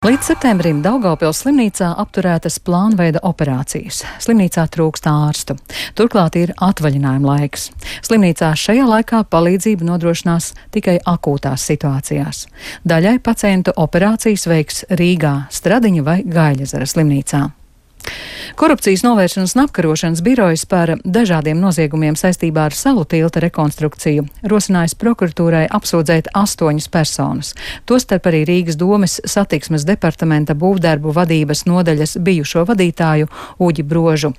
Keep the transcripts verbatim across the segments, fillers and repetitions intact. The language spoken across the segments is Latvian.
Līdz septembrim Daugavpils slimnīcā apturētas plānveida operācijas. Slimnīcā trūkst ārstu. Turklāt ir atvaļinājuma laiks. Slimnīcā šajā laikā palīdzību nodrošinās tikai akūtās situācijās. Daļai pacientu operācijas veiks Rīgā, Stradiņa vai Gaiļezera slimnīcā. Korupcijas novēršanas un apkarošanas birojas par dažādiem noziegumiem saistībā ar Salu tilta rekonstrukciju rosinājis prokuratūrai apsūdzēt astoņas personas, tostarp arī Rīgas domes satiksmes departamenta būvdarbu vadības nodaļas bijušo vadītāju Uģi Brožu.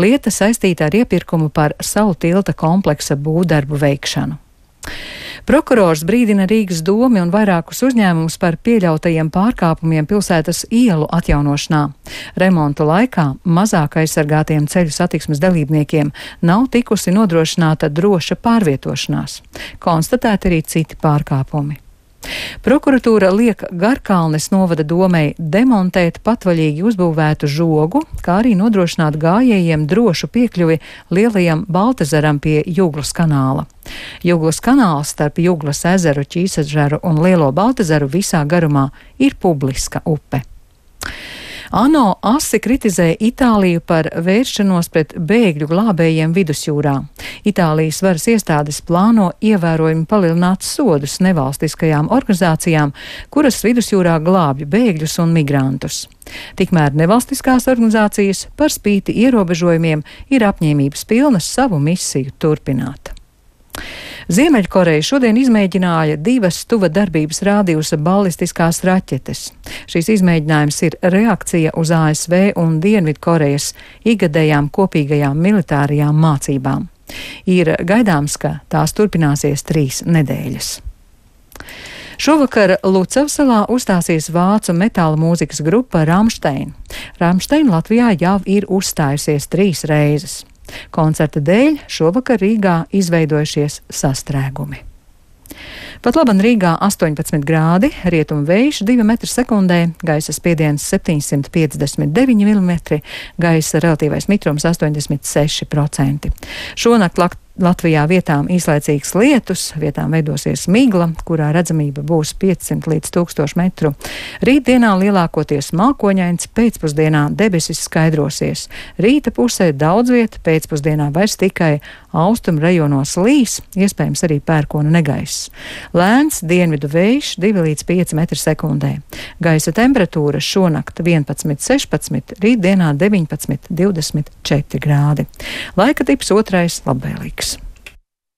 Lieta saistīta ar iepirkumu par Salu tilta kompleksa būvdarbu veikšanu. Prokurors brīdina Rīgas domi un vairākus uzņēmumus par pieļautajiem pārkāpumiem pilsētas ielu atjaunošanā. Remontu laikā mazāk aizsargātiem ceļu satiksmes dalībniekiem nav tikusi nodrošināta droša pārvietošanās. Konstatēti arī citi pārkāpumi. Prokuratūra liek Garkalnes novada domei demontēt patvaļīgi uzbūvētu žogu, kā arī nodrošināt gājējiem drošu piekļuvi lielajam Baltezaram pie Juglas kanāla. Juglas kanāls starp Juglas ezeru, Ķīsežeru un Lielo Baltezaru visā garumā ir publiska upe. ANO asi kritizē Itāliju par vēršanos pret bēgļu glābējiem vidusjūrā. Itālijas varas iestādes plāno ievērojami palielināt sodus nevalstiskajām organizācijām, kuras vidusjūrā glābj bēgļus un migrantus. Tikmēr nevalstiskās organizācijas par spīti ierobežojumiem ir apņēmības pilnas savu misiju turpināt. Ziemeļkoreja šodien izmēģināja divas tuva darbības rādījusa balistiskās raķetes. Šīs izmēģinājums ir reakcija uz A S V un Dienvidkorejas ikgadējām kopīgajām militārajām mācībām. Ir gaidāms, ka tās turpināsies trīs nedēļas. Šovakar Lucavsalā uzstāsies vācu metāla mūzikas grupa Rammstein. Rammstein Latvijā jau ir uzstājusies trīs reizes. Koncerta dēļ šovakar Rīgā izveidojušies sastrēgumi. Pat laban Rīgā astoņpadsmit grādi, rietumu vējš divi metri sekundē, gaisa spiediens septiņsimt piecdesmit deviņi milimetri, gaisa relatīvais mitrums astoņdesmit seši procenti. Šonakt Latvijā vietām īslaicīgs lietus, vietām veidosies migla, kurā redzamība būs piecsimt līdz tūkstoš metru. Rītdienā lielākoties mākoņains, pēcpusdienā debesis skaidrosies. Rīta pusē daudz vieta, pēcpusdienā vairs tikai austrumu rajonos līs, iespējams arī pērkona negaiss. Lēns dienvidu vējš divi līdz pieci metri sekundē. Gaisa temperatūra šonakt vienpadsmit sešpadsmit, rītdienā deviņpadsmit divdesmit četri grādi. Laika tips otrais labvēlīgs.